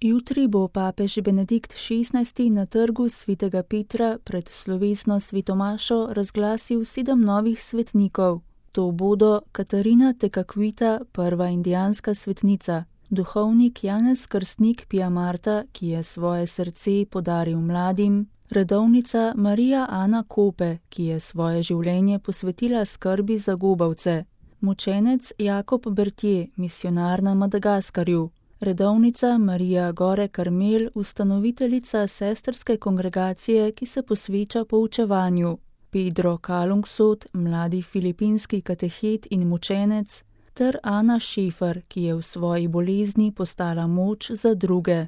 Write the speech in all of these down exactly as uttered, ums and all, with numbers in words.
Jutri bo papež Benedikt šestnajsti na trgu svetega Petra pred slovesno svetomašo razglasil sedem novih svetnikov. To bodo Katarina Tekakwitha, prva indijanska svetnica, duhovnik Janez Krstnik Pijamarta, ki je svoje srce podaril mladim, redovnica Marija Ana Kope, ki je svoje življenje posvetila skrbi za gobavce, mučenec Jakob Bertje, misionar na Madagaskarju, redovnica Marija Gore Karmel, ustanoviteljica sestrske kongregacije, ki se posveča poučevanju, Pedro Kalungsod, mladi filipinski katehet in mučenec, ter Ana Šefer, ki je v svoji bolezni postala moč za druge.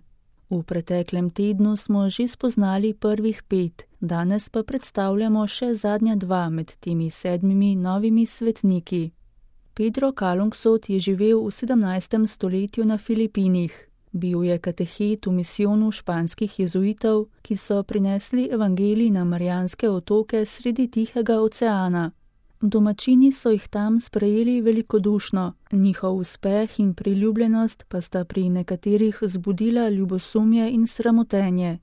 V preteklem tednu smo že spoznali prvih pet, danes pa predstavljamo še zadnja dva med temi sedmimi novimi svetniki. Pedro Kalungsod je živel v sedemnajstem stoletju na Filipinih. Bil je katehet v misijonu španskih jezuitov, ki so prinesli evangelij na Marijanske otoke sredi Tihega oceana. Domačini so jih tam sprejeli velikodušno, njihov uspeh in priljubljenost pa sta pri nekaterih zbudila ljubosumje in sramotenje.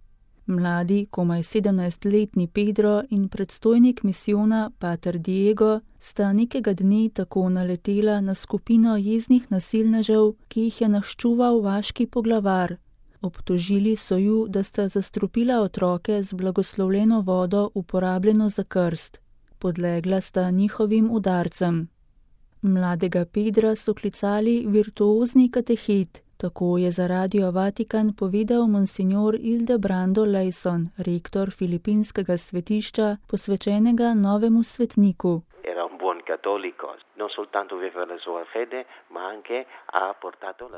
Mladi, komaj sedemnajstletni Pedro in predstojnik misijona pater Diego sta nekega dne tako naletela na skupino jeznih nasilnežev, ki jih je naščuval vaški poglavar. Obtožili so ju, da sta zastrupila otroke z blagoslovljeno vodo uporabljeno za krst. Podlegla sta njihovim udarcem. Mladega Pedra so klicali virtuozni katehet, tako je za Radio Vatikan povedal monsignor Ildebrando Leison, rektor filipinskega svetišča, posvečenega novemu svetniku.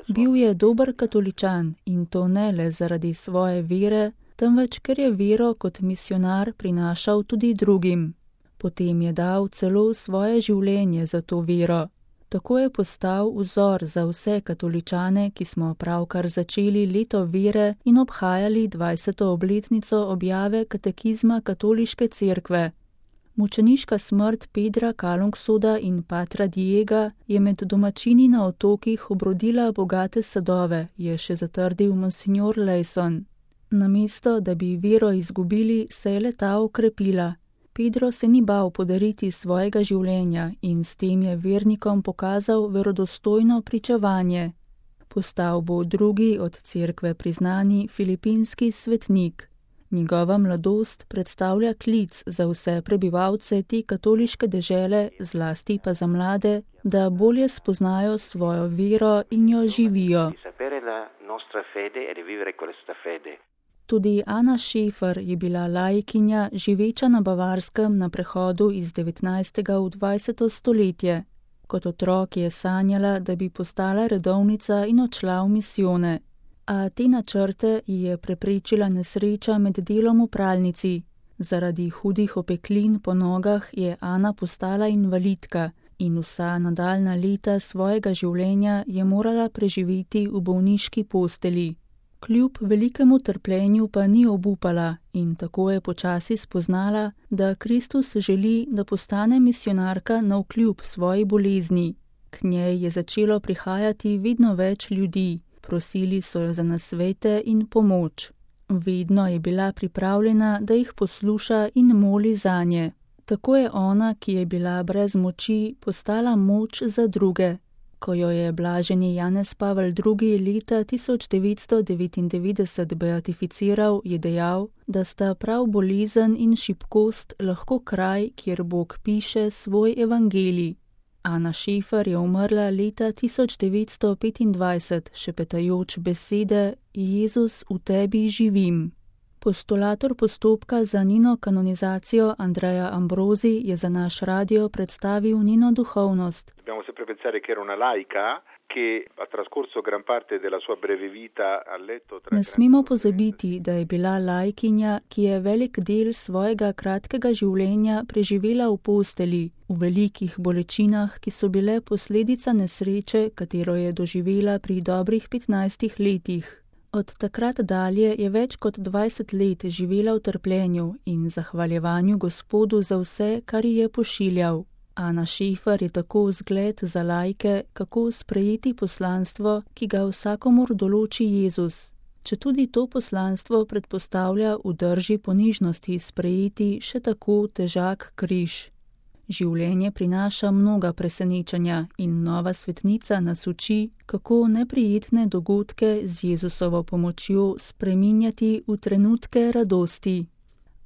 Bil je dober katoličan in to ne le zaradi svoje vere, temveč ker je vero kot misionar prinašal tudi drugim. Potem je dal celo svoje življenje za to vero. Tako je postal vzor za vse katoličane, ki smo pravkar začeli leto vere in obhajali dvajseto obletnico objave katekizma katoliške cerkve. Mučeniška smrt Pedra Kalungsoda in patra Diega je med domačini na otokih obrodila bogate sadove, je še zatrdil monsignor Leison. Namesto, da bi vero izgubili, se je le-ta okrepila. Pedro se ni bal podariti svojega življenja in s tem je vernikom pokazal verodostojno pričevanje. Postal bo drugi od cerkve priznani filipinski svetnik. Njegova mladost predstavlja klic za vse prebivalce te katoliške dežele, zlasti pa za mlade, da bolje spoznajo svojo vero in jo živijo. Tudi Ana Šefer je bila laikinja, živeča na Bavarskem na prehodu iz devetnajstega v dvajseto stoletje. Kot otrok je sanjala, da bi postala redovnica in odšla v misijone. A te načrte ji je preprečila nesreča med delom v pralnici. Zaradi hudih opeklin po nogah je Ana postala invalidka in vsa nadaljna leta svojega življenja je morala preživeti v bolniški posteli. Kljub velikemu trpljenju pa ni obupala in tako je počasi spoznala, da Kristus želi, da postane misionarka navkljub svoji bolezni. K njej je začelo prihajati vedno več ljudi, prosili so jo za nasvete in pomoč. Vedno je bila pripravljena, da jih posluša in moli zanje. Tako je ona, ki je bila brez moči, postala moč za druge. Ko jo je blaženi Janez Pavel drugi. leta tisoč devetsto devetindevetdeset beatificiral, je dejal, da sta prav bolezen in šibkost lahko kraj, kjer Bog piše svoj evangelij. Ana Šefer je umrla leta tisoč devetsto petindvajset, šepetajoč besede Jezus, v tebi živim. Postulator postopka za njeno kanonizacijo Andrea Ambrosi je za naš radio predstavil njeno duhovnost. Ne smemo pozabiti, da je bila laikinja, ki je velik del svojega kratkega življenja preživela v posteli, v velikih bolečinah, ki so bile posledica nesreče, katero je doživela pri dobrih petnajstih letih. Od takrat dalje je več kot dvajset let živela v trpljenju in zahvaljevanju Gospodu za vse, kar ji je pošiljal. Ana Šefer je tako vzgled za laike, kako sprejeti poslanstvo, ki ga vsakomur določi Jezus. četudi to poslanstvo predpostavlja v drži ponižnosti sprejeti še tako težak križ. Življenje prinaša mnoga presenečenja in nova svetnica nas uči, kako neprijetne dogodke z Jezusovo pomočjo spreminjati v trenutke radosti.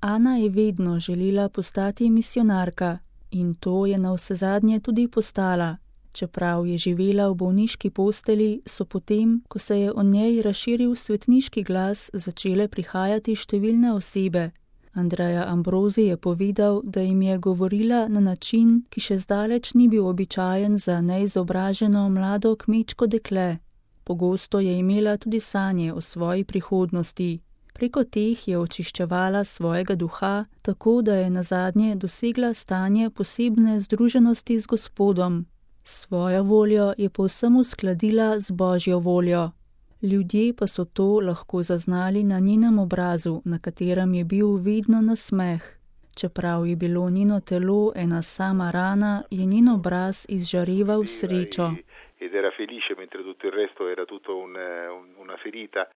Ana je vedno želela postati misijonarka in to je navsezadnje tudi postala. Čeprav je živela v bolniški posteli, so potem, ko se je o njej razširil svetniški glas, začele prihajati številne osebe. Andreja Ambrozi je povedal, da jim je govorila na način, ki še zdaleč ni bil običajen za neizobraženo mlado kmečko dekle. Pogosto je imela tudi sanje o svoji prihodnosti. Preko teh je očiščevala svojega duha, tako da je nazadnje dosegla stanje posebne združenosti z Gospodom. Svojo voljo je povsem uskladila z Božjo voljo. Ljudje pa so to lahko zaznali na njenem obrazu, na katerem je bil vedno nasmeh. Čeprav je bilo njeno telo ena sama rana, je njen obraz izžareval srečo. Ed era felice mentre tutto il resto era tutto un, una ferita.